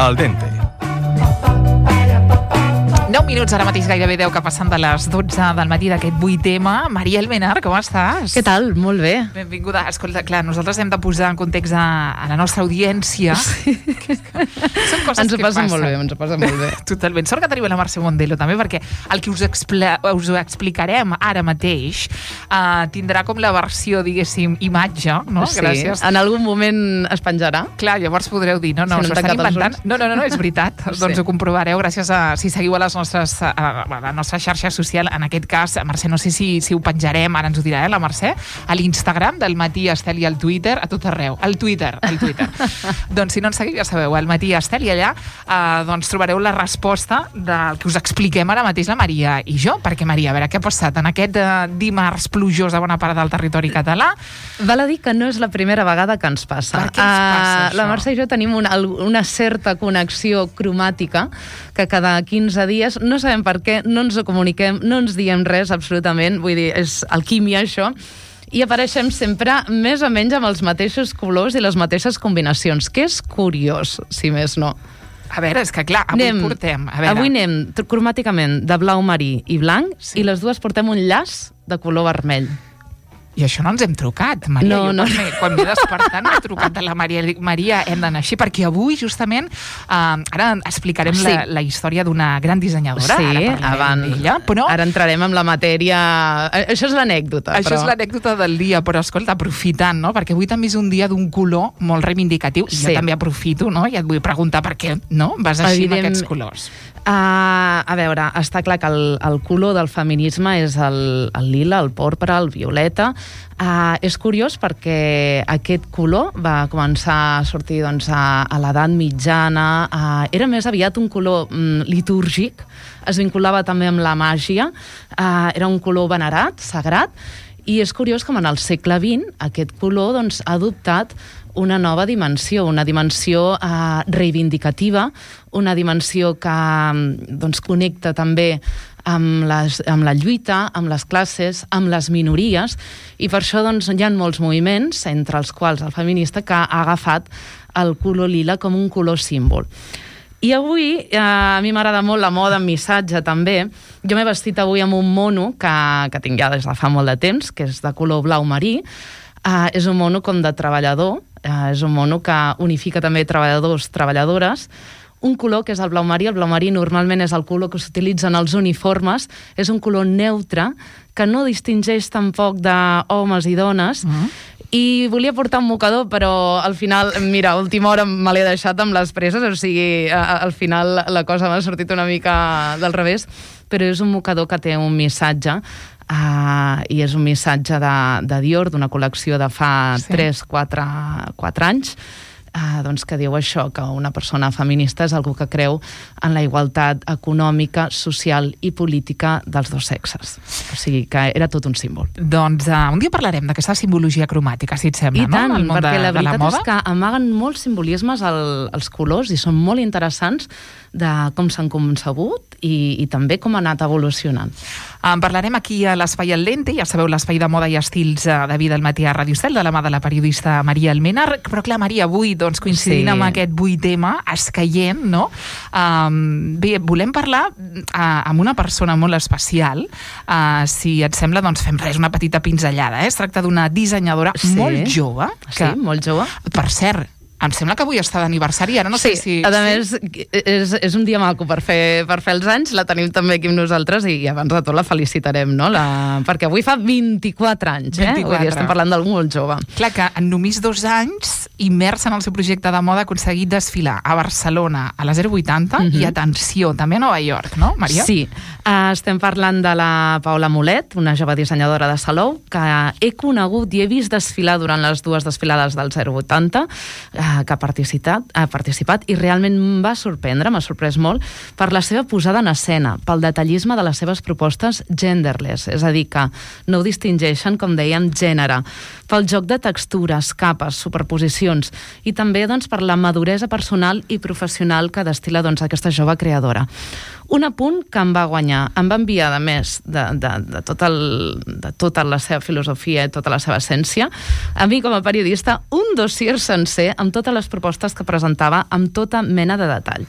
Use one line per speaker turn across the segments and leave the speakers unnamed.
Al dente.
9 minuts, ara mateix gairebé 10 que passen de les 12 del matí d'aquest 8M. Maria Almenar, com estàs?
Què tal? Molt bé.
Benvinguda. Escolta, clar, nosaltres hem de posar en context a la nostra audiència. Sí. Són coses
ens ho
que
passen
passen.
molt bé, ens ho passen molt bé.
Totalment. Sort que tenim la Mercè Mondelo també, perquè el que us explicarem ara mateix tindrà com la versió, diguéssim, imatge, no?
Sí,
Gràcies.
en algun moment es penjarà.
Clar, llavors podreu dir, no,
Si no
s'ho estan
tancat els
inventant. No, és veritat.
Sí.
Doncs ho comprovareu gràcies a, si seguiu a la nostra xarxa social, en aquest cas, Mercè, no sé si ho penjarem, ara ens ho dirà, la Mercè, a l'Instagram del Matí Estel i al Twitter, a tot arreu. Al Twitter. Doncs si no ens seguiu, ja sabeu, al Matí Estel, i allà doncs trobareu la resposta del que us expliquem ara mateix la Maria i jo. Perquè, Maria, a veure, què ha passat en aquest dimarts plujós a bona part del territori català?
Val a dir que no és la primera vegada que ens passa.
Per què ens passa això?
La Mercè i jo tenim una certa connexió cromàtica que cada 15 dies, no sabem per què, no ens ho comuniquem, no ens diem res absolutament, vull dir, és alquímia això, i apareixem sempre més o menys amb els mateixos colors i les mateixes combinacions, que és curiós, si més no.
A veure, és que clar, avui
anem cromàticament de blau marí i blanc, sí. I les dues portem un llaç de color vermell.
I això no ens hem trucat, Maria.
No.
Quan m'he despertat m'he trucat a la Maria. Dic, Maria, hem d'anar així, perquè avui, justament, ara explicarem la història d'una gran dissenyadora.
Sí, ara entrarem en la matèria. Això és l'anècdota.
Això és l'anècdota del dia, però escolta, aprofitant, no? Perquè avui també és un dia d'un color molt reivindicatiu, i jo també aprofito, no? I et vull preguntar per què, no? Vas així amb aquests colors.
A veure, està clar que el color del feminisme és el lila, el porpra, el violeta. És curiós perquè aquest color va començar a sortir doncs, a l'edat mitjana. Era més aviat un color litúrgic, es vinculava també amb la màgia, era un color venerat, sagrat, i és curiós com en el segle XX aquest color doncs, ha adoptat una nova dimensió, una dimensió reivindicativa, una dimensió que doncs, connecta també amb la lluita, amb les classes, amb les minories, i per això doncs, hi ha molts moviments, entre els quals el feminista, que ha agafat el color lila com un color símbol. I avui, a mi m'agrada molt la moda en missatge també. Jo m'he vestit avui amb un mono que tinc ja des de fa molt de temps, que és de color blau marí. És un mono com de treballador, és un mono que unifica també treballadors, treballadores. Un color que és el blau marí. El blau marí normalment és el color que s'utilitza en els uniformes. És un color neutre que no distingeix tampoc d'homes i dones. I volia portar un mocador, però al final, mira, a última hora me l'he deixat amb les presses, o sigui, al final la cosa m'ha sortit una mica del revés, però és un mocador que té un missatge, i és un missatge de Dior, d'una col·lecció de fa 3-4 anys, doncs que diu això, que una persona feminista és algú que creu en la igualtat econòmica, social i política dels dos sexes. O sigui que era tot un símbol.
Doncs un dia parlarem d'aquesta simbologia cromàtica, si et sembla,
no? I tant, perquè la veritat
és
que amaguen molts simbolismes els colors i són molt interessants de com s'han concebut i també com ha anat evolucionant.
Parlarem aquí a l'Espai al Dente, ja sabeu, l'espai de moda i estils de vida al matí a Ràdio Estel, de la mà de la periodista Maria Almenar. Però clar, Maria, avui, doncs, coincidint amb aquest 8M, escaient, no? Bé, volem parlar amb una persona molt especial. Si et sembla, doncs fem una petita pinzellada. Es tracta d'una dissenyadora molt jove.
Sí, molt jove.
Per cert, em sembla que avui està d'aniversari, ara no sé si...
A més, és un dia maco per fer els anys, la tenim també aquí amb nosaltres i abans de tot la felicitarem, no? Perquè avui fa 24 anys, Vull dir, estem parlant d'algú molt jove.
Clar que en només 2 anys, immersa en el seu projecte de moda, ha aconseguit desfilar a Barcelona a la 080 i, atenció, també a Nova York, no, Maria?
Sí, estem parlant de la Paula Mulet, una jove dissenyadora de Salou, que he conegut i he vist desfilar durant les 2 desfilades del 080, que ha participat i realment m'ha sorprès molt per la seva posada en escena, pel detallisme de les seves propostes genderless, és a dir, que no ho distingeixen, com dèiem, gènere, pel joc de textures, capes, superposicions, sensacions i també doncs, per la maduresa personal i professional que destil·la doncs, aquesta jove creadora. Un apunt que em va guanyar, em va enviar, a més de tota la seva filosofia i tota la seva essència, a mi com a periodista, un dossier sencer amb totes les propostes que presentava amb tota mena de detall.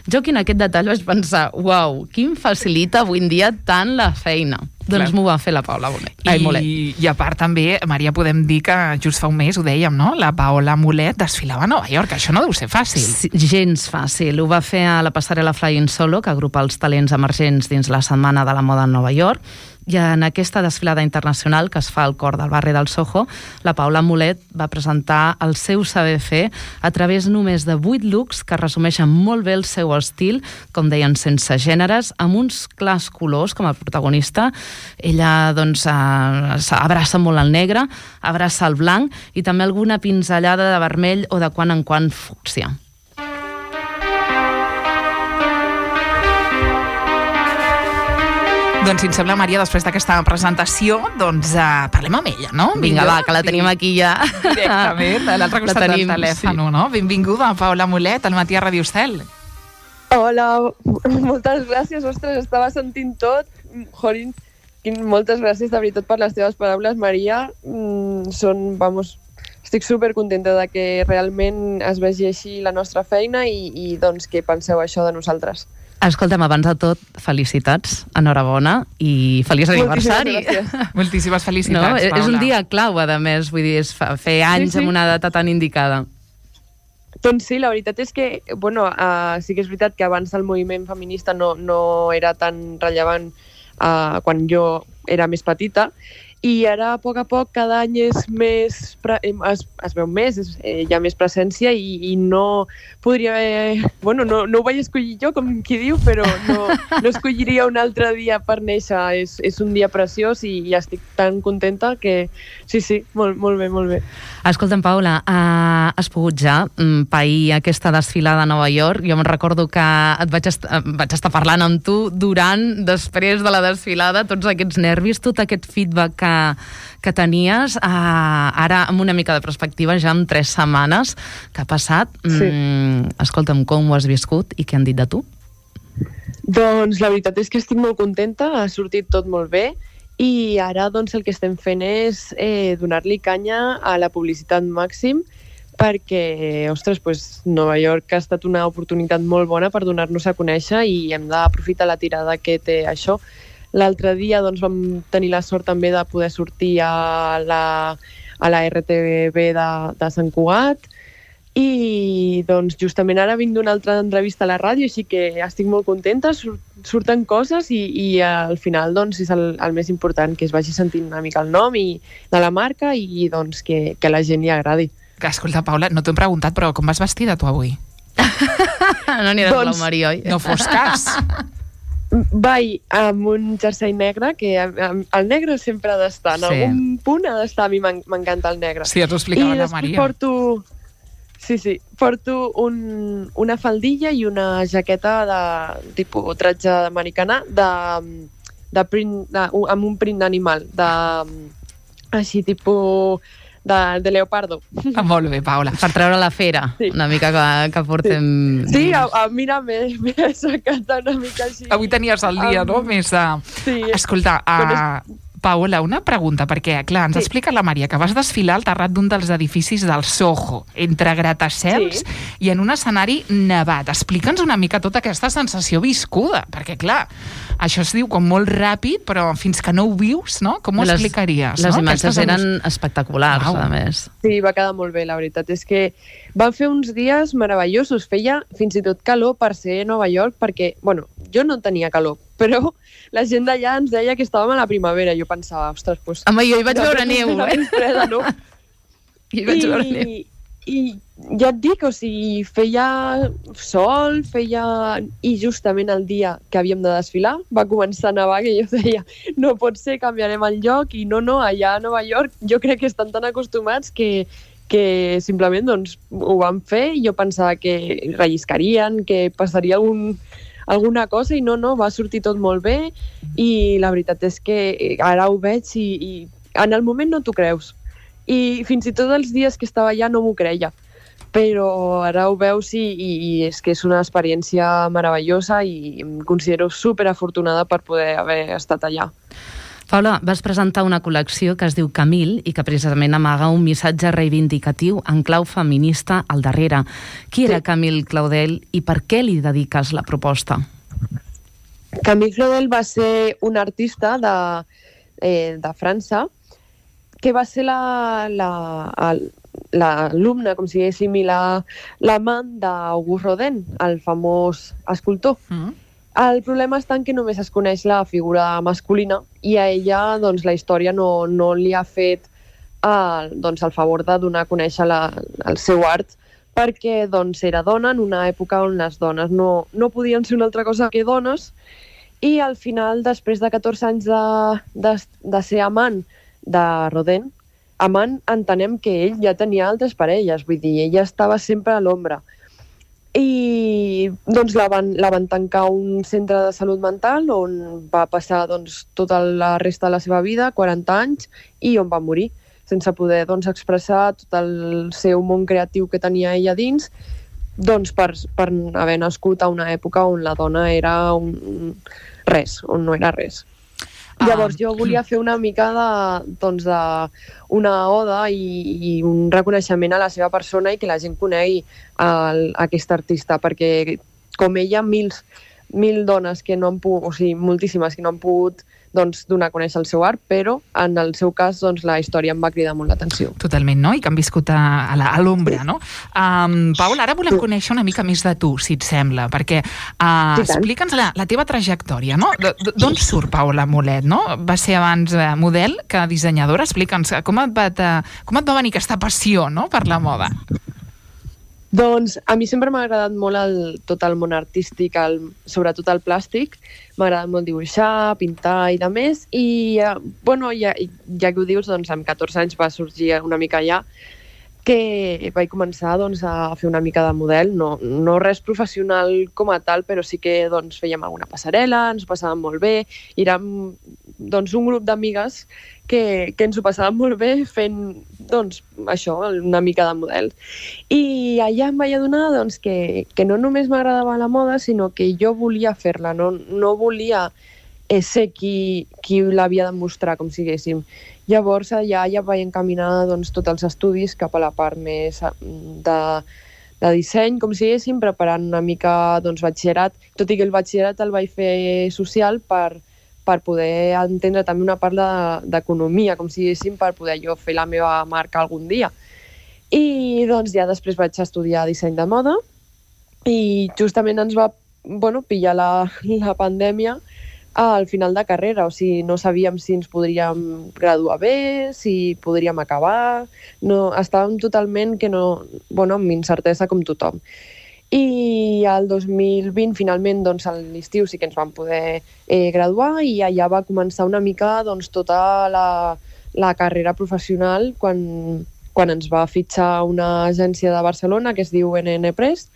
Jo aquí en aquest detall vaig pensar, uau, qui em facilita avui en dia tant la feina? Doncs m'ho va fer la Paula Mulet.
I a part també, Maria, podem dir que just fa un mes, ho dèiem, no? La Paola Mulet desfilava a Nova York, això no deu ser fàcil.
Sí, gens fàcil. Ho va fer a la passarel·la Flying Solo, que agrupa els talents emergents dins la Setmana de la Moda a Nova York, i en aquesta desfilada internacional que es fa al cor del barri del Soho, la Paola Mulet va presentar el seu saber fer a través només de 8 looks que resumeixen molt bé el seu estil, com deien, sense gèneres, amb uns clars colors com a protagonista. Ella doncs abraça molt el negre, abraça el blanc i també alguna pinzellada de vermell o de quan en quan fúcsia.
Doncs si em sembla, Maria, després d'aquesta presentació, doncs parlem amb ella, no?
Vinga, va, que la tenim aquí ja.
Directament, a l'altre costat del telèfon, sí. No? Benvinguda, Paola Mulet, al Matí a Radio Estel.
Hola, moltes gràcies, ostres, estava sentint tot. Jorin, moltes gràcies de veritat per les teves paraules, Maria. Estic supercontenta de que realment es vegi així la nostra feina i doncs que penseu això de nosaltres.
Escolta'm, abans de tot, felicitats, enhorabona i feliç aniversari.
Moltíssimes felicitats, Paula.
És un dia clau, a més, vull dir, és fer anys amb una data tan indicada.
Doncs sí, la veritat és que, sí que és veritat que abans el moviment feminista no era tan rellevant quan jo era més petita, i ara, a poc, cada any es veu més, hi ha més presència i no podria haver... no ho vaig escollir jo, com qui diu, però no escolliria un altre dia per néixer. És un dia preciós i estic tan contenta que sí, molt bé, molt bé.
Escolta'm, Paula, has pogut ja pair aquesta desfilada a Nova York? Jo me'n recordo que vaig estar parlant amb tu després de la desfilada, tots aquests nervis, tot aquest feedback que tenies, ara amb una mica de perspectiva, ja en 3 setmanes que ha passat. Sí. Escolta'm, com ho has viscut i què han dit de tu?
Doncs la veritat és que estic molt contenta, ha sortit tot molt bé i ara doncs el que estem fent és donar-li canya a la publicitat màxim perquè, ostres, Nova York ha estat una oportunitat molt bona per donar-nos a conèixer i hem d'aprofitar la tirada que té això. L'altre dia doncs, vam tenir la sort també de poder sortir a la RTBB de Sant Cugat i doncs, justament ara vinc d'una altra entrevista a la ràdio, així que estic molt contenta, surten coses i al final doncs, és el més important, que es vagi sentint una mica el nom de la marca i doncs, que la gent li agradi.
Escolta, Paula, no t'ho hem preguntat, però com vas vestida tu avui?
No aniràs blau marí, oi?
No fos cas.
Vaig amb un jersei negre, que el negre sempre ha d'estar, en algun punt ha d'estar, a mi m'encanta el negre.
Sí, ens ho explicava la Maria.
I després porto una faldilla i una jaqueta de tipus tratge americana amb un print animal, així tipus de leopardo.
Molt bé, Paula.
Per treure la fera, sí. Una mica que portem...
Sí, mira, m'he assecat una mica així.
Avui tenies el dia, no? Més de...
Sí.
Escolta, Paola, una pregunta, perquè, clar, ens explica la Maria que vas desfilar al terrat d'un dels edificis del Soho, entre gratacels i en un escenari nevat. Explica'ns una mica tota aquesta sensació viscuda, perquè, clar, això es diu com molt ràpid, però fins que no ho vius, no? Com ho explicaries?
Les imatges eren espectaculars, a més.
Sí, va quedar molt bé, la veritat. És que van fer uns dies meravellosos. Feia fins i tot calor per ser a Nova York, perquè, jo no tenia calor, però la gent d'allà ens deia que estàvem a la primavera. Jo pensava, ostres, doncs...
Home, jo hi vaig veure neu,
freda, no?
Hi vaig veure neu.
I ja et dic, feia sol, i justament el dia que havíem de desfilar va començar a nevar, que jo deia, no pot ser, canviarem el lloc, i no, allà a Nova York jo crec que estan tan acostumats que simplement doncs, ho van fer, i jo pensava que relliscarien, que passaria alguna cosa, i no, va sortir tot molt bé, i la veritat és que ara ho veig i en el moment no t'ho creus. I fins i tot els dies que estava allà no m'ho creia. però ara ho veus i és que és una experiència meravellosa i em considero superafortunada per poder haver estat allà.
Paula, vas presentar una col·lecció que es diu Camil i que precisament amaga un missatge reivindicatiu en clau feminista al darrere. Qui era Camil Claudel i per què li dediques la proposta?
Camil Claudel va ser un artista de França que va ser l'alumne, com si diguéssim, i l'amant d'Auguste Rodin, el famós escultor. El problema està en que només es coneix la figura masculina i a ella doncs, la història no li ha fet el favor de donar a conèixer el seu art perquè doncs, era dona en una època on les dones no podien ser una altra cosa que dones i al final, després de 14 anys de ser amant de Rodin, amant entenem que ell ja tenia altres parelles, vull dir, ella estava sempre a l'ombra. I doncs la van tancar a un centre de salut mental on va passar doncs, tota la resta de la seva vida, 40 anys, i on va morir, sense poder doncs, expressar tot el seu món creatiu que tenia ella dins, doncs, per haver nascut a una època on la dona era res, on no era res. Llavors jo volia fer una mica una oda i un reconeixement a la seva persona i que la gent conegui aquest artista, perquè com ella, mil dones que no han pogut, o sigui, moltíssimes que no han pogut doncs, donar a conèixer el seu art, però en el seu cas doncs, la història em va cridar molt l'atenció.
Totalment, no? I que han viscut a l'ombra, no? Paula, ara volem conèixer una mica més de tu, si et sembla, perquè explica'ns la teva trajectòria, no? D'on surt Paula Mulet, no? Va ser abans model que dissenyadora. Explica'ns com et va venir aquesta passió, no?, per la moda.
Doncs a mi sempre m'ha agradat molt tot el món artístic, sobretot el plàstic. M'ha agradat molt dibuixar, pintar i de més. I, ja que ho dius, doncs amb 14 anys va sorgir una mica allà que vaig començar doncs, a fer una mica de model, no res professional com a tal, però sí que doncs, fèiem alguna passarel·la, ens ho passàvem molt bé, i érem doncs, un grup d'amigues que ens ho passàvem molt bé fent doncs, això, una mica de model. I allà em vaig adonar doncs, que no només m'agradava la moda, sinó que jo volia fer-la, no volia ser qui l'havia de mostrar, com siguéssim. Llavors allà ja vaig encaminar doncs, tots els estudis cap a la part més de disseny, com siguéssim, preparant una mica doncs, batxillerat, tot i que el batxillerat el vaig fer social per poder entendre també una part d'economia, com siguéssim, per poder jo fer la meva marca algun dia. I doncs ja després vaig estudiar disseny de moda i justament ens va pillar la pandèmia al final de carrera, o sigui, no sabíem si ens podríem graduar bé, si podríem acabar, estàvem totalment amb incertesa com tothom. I el 2020, finalment, doncs, a l'estiu sí que ens vam poder graduar i allà va començar una mica doncs, tota la carrera professional quan ens va fitxar una agència de Barcelona que es diu NN Press.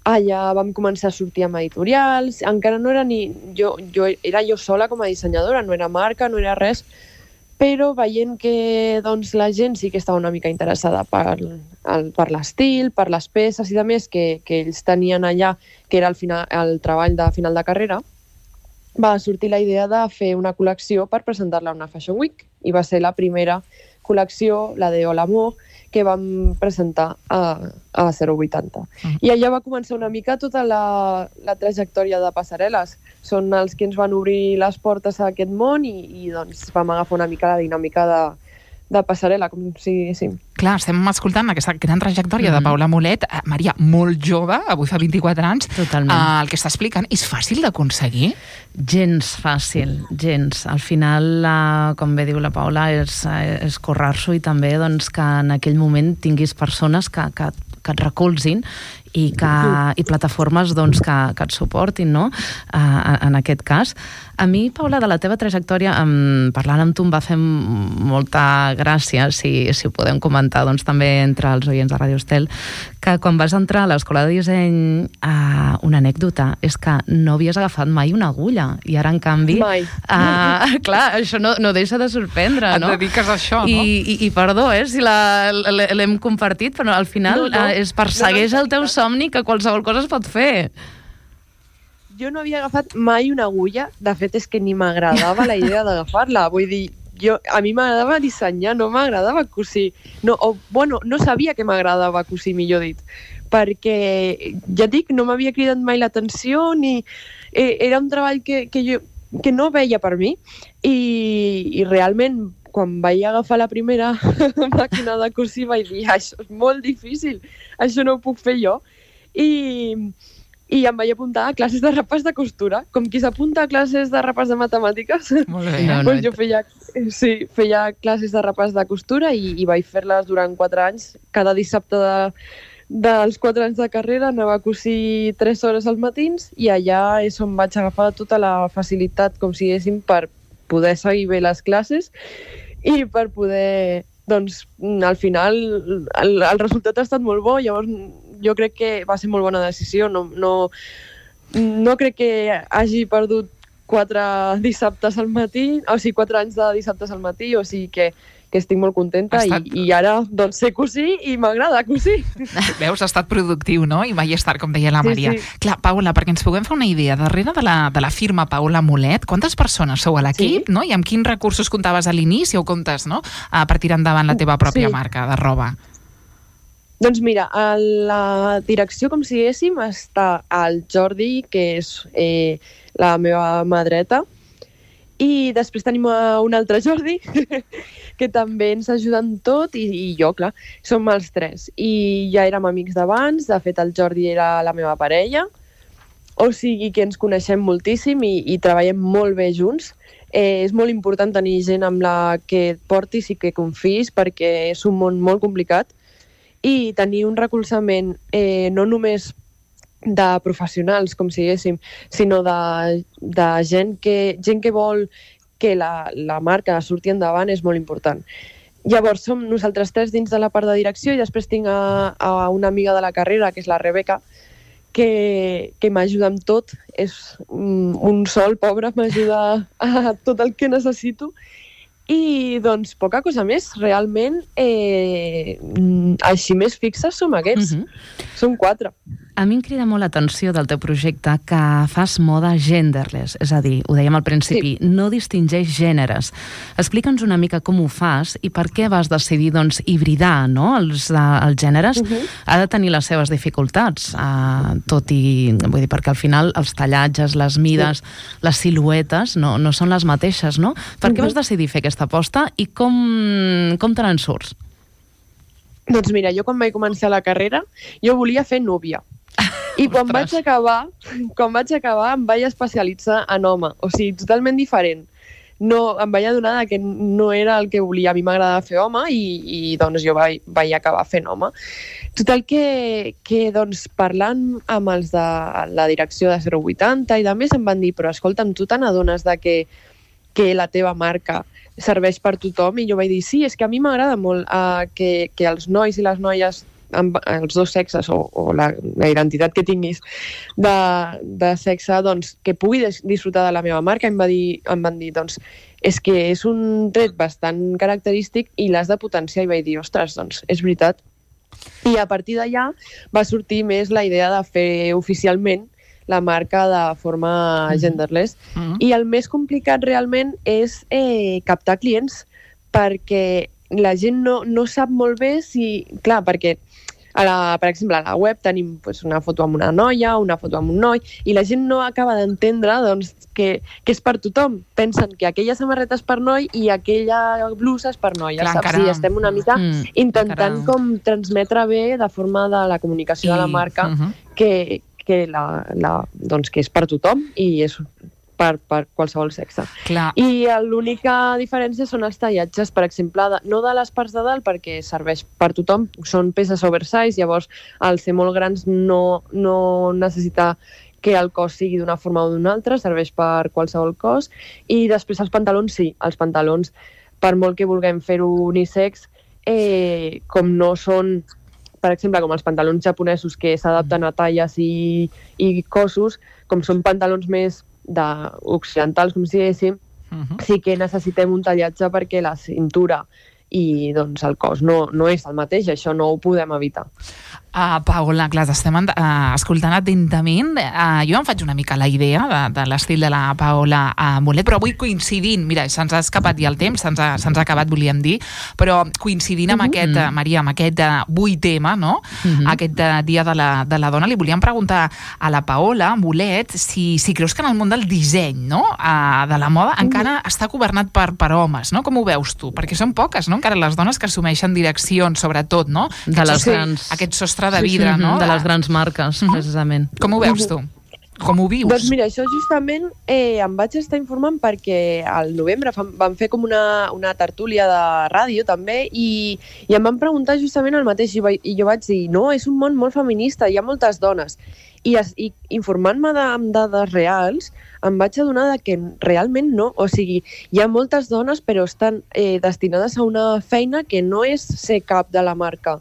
Allà vam començar a sortir amb editorials, encara no era era jo sola com a dissenyadora, no era marca, no era res, però veient que doncs, la gent sí que estava una mica interessada per l'estil, per les peces i de més que ells tenien allà, que era el treball de final de carrera, va sortir la idea de fer una col·lecció per presentar-la a una Fashion Week, i va ser la primera col·lecció, la de Olamor, que vam presentar a 080. I allà va començar una mica tota la trajectòria de passarel·les. Són els que ens van obrir les portes a aquest món i doncs vam agafar una mica la dinàmica de passarel·la, com si diguéssim.
Clar, estem escoltant aquesta gran trajectòria de Paula Mulet, Maria, molt jove, avui fa 24 anys.
Totalment.
El que està explicant és fàcil d'aconseguir?
Gens fàcil, gens. Al final, com bé diu la Paula, és currar-s'ho i també doncs, que en aquell moment tinguis persones que et recolzin i plataformes doncs, que et suportin, no? En aquest cas. A mi, Paula, de la teva trajectòria, parlant amb tu em va fer molta gràcia, si ho podem comentar doncs, també entre els oients de Radio Estel, que quan vas entrar a l'escola de disseny, una anècdota és que no havies agafat mai una agulla, i ara, en canvi...
Mai.
Clar, això no deixa de sorprendre, no?
Et dediques a això, no?
I perdó, si l'hem compartit, però al final persegueix el teu somni, que qualsevol cosa es pot fer.
Jo no havia agafat mai una agulla, de fet és que ni m'agradava la idea d'agafar-la, vull dir, a mi m'agradava dissenyar, no m'agradava cosir, no sabia que m'agradava cosir, millor dit, perquè, ja dic, no m'havia cridat mai l'atenció, ni era un treball que no veia per mi, i realment, quan vaig agafar la primera màquina de cosir, vaig dir, això és molt difícil, això no ho puc fer jo, i em vaig apuntar a classes de repàs de costura, com qui s'apunta a classes de repàs de matemàtiques.
Molt bé.
Pues jo feia classes de repàs de costura i vaig fer-les durant 4 anys. Cada dissabte dels 4 anys de carrera anava a cosir 3 hores als matins i allà és on vaig agafar tota la facilitat, com si diguéssim, per poder seguir bé les classes i per poder, doncs, al final el resultat ha estat molt bo, llavors jo crec que va ser molt bona decisió. No crec que hagi perdut 4 dissabtes al matí, o sigui, 4 anys de dissabtes al matí, o sigui que estic molt contenta i ara doncs sé cosir i m'agrada cosir.
Veus, ha estat productiu, no? I mai és tard, com deia la Maria.
Sí.
Clar, Paula, perquè ens puguem fer una idea, darrere de la firma Paula Mulet, quantes persones sou a l'equip, no? I amb quins recursos comptaves a l'inici o comptes, no? Per tirar endavant la teva pròpia marca de roba.
Doncs mira, a la direcció, com si diguéssim, està el Jordi, que és la meva mà dreta, i després tenim un altre Jordi, que també ens ajuda en tot, i jo, clar, som els 3. I ja érem amics d'abans, de fet el Jordi era la meva parella, o sigui que ens coneixem moltíssim i treballem molt bé junts. És molt important tenir gent amb la que et portis i que confis, perquè és un món molt complicat, i tenir un recolzament no només de professionals, com si diguéssim, sinó de gent que vol que la marca surti endavant és molt important. Llavors, som nosaltres 3 dins de la part de direcció i després tinc a una amiga de la carrera, que és la Rebeca, que m'ajuda amb tot. És un sol, pobre, m'ajuda a tot el que necessito. I, doncs, poca cosa més. Realment, així més fixes som aquests. Som 4.
A mi em crida molt l'atenció del teu projecte que fas moda genderless, és a dir, ho dèiem al principi, no distingeix gèneres. Explica'ns una mica com ho fas i per què vas decidir, doncs, hibridar, no? Els gèneres. Ha de tenir les seves dificultats, tot i, vull dir, perquè al final els tallatges, les mides, les siluetes no són les mateixes, no? Per què vas decidir fer aquesta aposta i com te n'en surts?
Doncs mira, jo quan vaig començar la carrera, jo volia fer núvia. I quan vaig acabar em vaig especialitzar en home, o sigui, totalment diferent. No, em vaig adonar que no era el que volia. A mi m'agradava fer home i doncs jo vaig acabar fent home. Total que doncs, parlant amb els de la direcció de 080 i de més em van dir, però escolta'm, tu te n'adones de que la teva marca serveix per tothom? I jo vaig dir, sí, és que a mi m'agrada molt que els nois i les noies, els dos sexes o la identitat que tinguis de sexe, doncs, que pugui disfrutar de la meva marca. Em van dir, doncs, és que és un tret bastant característic i l'has de potenciar. I vaig dir, ostres, doncs, és veritat. I a partir d'allà va sortir més la idea de fer oficialment la marca de forma genderless. I el més complicat realment és captar clients, perquè la gent no sap molt bé si... Clar, perquè per exemple, a la web tenim una foto amb una noia, una foto amb un noi, i la gent no acaba d'entendre que és per tothom. Pensen que aquella samarreta és per noi i aquella blusa és per noia. Saps? I estem una mica intentant com transmetre bé de forma de la comunicació de la marca que és per tothom i és per qualsevol sexe.
Clar.
I l'única diferència són els tallatges, per exemple, no de les parts de dalt, perquè serveix per tothom, són peces oversize, llavors al ser molt grans no necessita que el cos sigui d'una forma o d'una altra, serveix per qualsevol cos, i després els pantalons sí, els pantalons, per molt que vulguem fer-ho unisex, com no són, per exemple, com els pantalons japonesos que s'adapten a talles i cossos, com són pantalons més occidentals, com si diguéssim, sí que necessitem un tallatge perquè la cintura i doncs, el cos no és el mateix, això no ho podem evitar.
Paola, clar, estem escoltant atentament. Jo em faig una mica la idea de l'estil de la Paola Mulet, però avui coincidint, mira, se'ns ha escapat ja el temps, se'ns ha acabat, volíem dir, però coincidint amb aquest, Maria, amb aquest 8M, no? Aquest Dia de la Dona, li volíem preguntar a la Paola Mulet si creus que en el món del disseny, no? De la moda, encara està governat per homes, no? Com ho veus tu? Perquè són poques, no? Encara les dones que assumeixen direccions, sobretot, no? Aquest sostre de vidre, no?
De les grans marques, precisament.
Com ho veus tu? Com ho vius?
Doncs mira, això justament em vaig estar informant perquè al novembre van fer com una tertúlia de ràdio també i em van preguntar justament el mateix i jo vaig dir, no, és un món molt feminista, hi ha moltes dones. I informant-me amb dades reals em vaig adonar que realment no, o sigui, hi ha moltes dones però estan destinades a una feina que no és ser cap de la marca.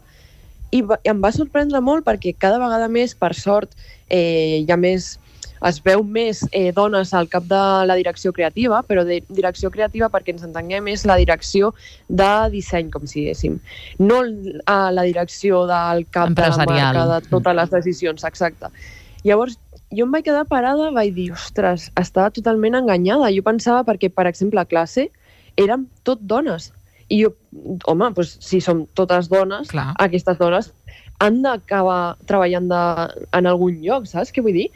I em va sorprendre molt perquè cada vegada més, per sort, es veu més dones al cap de la direcció creativa, però direcció creativa, perquè ens entenguem, és la direcció de disseny, com si diguéssim. No la direcció del cap de la marca, de totes les decisions, exacte. Llavors, jo em vaig quedar parada, vaig dir, ostres, estava totalment enganyada. Jo pensava perquè, per exemple, a classe érem tot dones. I jo, home, doncs, si som totes dones, clar, aquestes dones han d'acabar treballant en algun lloc, saps què vull dir?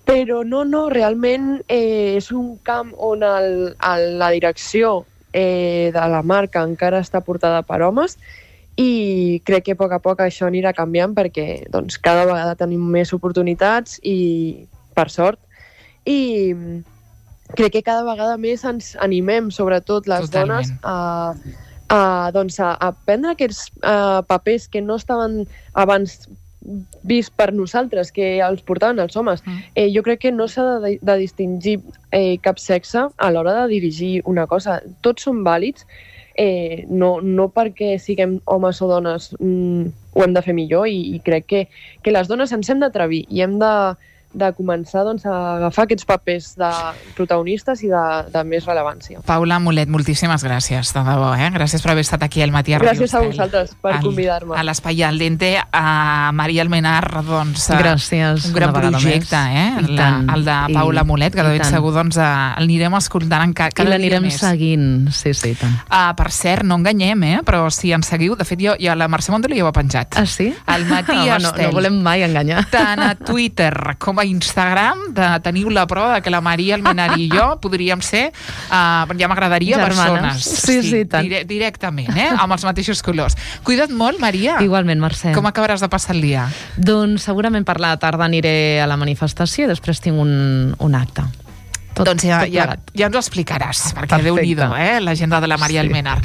Però no, realment és un camp on la direcció de la marca encara està portada per homes i crec que a poc això anirà canviant perquè doncs, cada vegada tenim més oportunitats i, per sort, i crec que cada vegada més ens animem, sobretot les dones, a prendre aquests papers que no estaven abans vist per nosaltres, que els portaven els homes. Jo crec que no s'ha de distingir cap sexe a l'hora de dirigir una cosa. Tots són vàlids, no perquè siguem homes o dones ho hem de fer millor i crec que les dones ens hem d'atrevir i hem de començar doncs, a agafar aquests papers de protagonistes i de més rellevància.
Paola Mulet, moltíssimes gràcies, de debò, Gràcies per haver estat aquí al Matí a Ràdio
Gràcies a vosaltres per convidar-me.
A l'Espai al Dente, a Maria Almenar, doncs...
Gràcies.
Un gran projecte, el de Paola Mulet, que de ben segur doncs, l'anirem escoltant cada dia més. I
l'anirem seguint, sí, i tant.
Per cert, no enganyem, però si ens seguiu, de fet, jo a la Mercè Montelo ja ho he penjat.
Ah, sí?
Al Matí Estel.
No volem mai enganyar.
Tant a Twitter com a Instagram, teniu la prova que la Maria Almenar i jo podríem ser, ja m'agradaria, persones.
Sí, tant.
Directament, amb els mateixos colors. Cuida't molt, Maria.
Igualment, Mercè.
Com acabaràs de passar el dia?
Doncs segurament per la tarda aniré a la manifestació i després tinc un acte.
Doncs ja ens ho explicaràs, perquè Déu-n'hi-do, l'agenda de la Maria Almenar.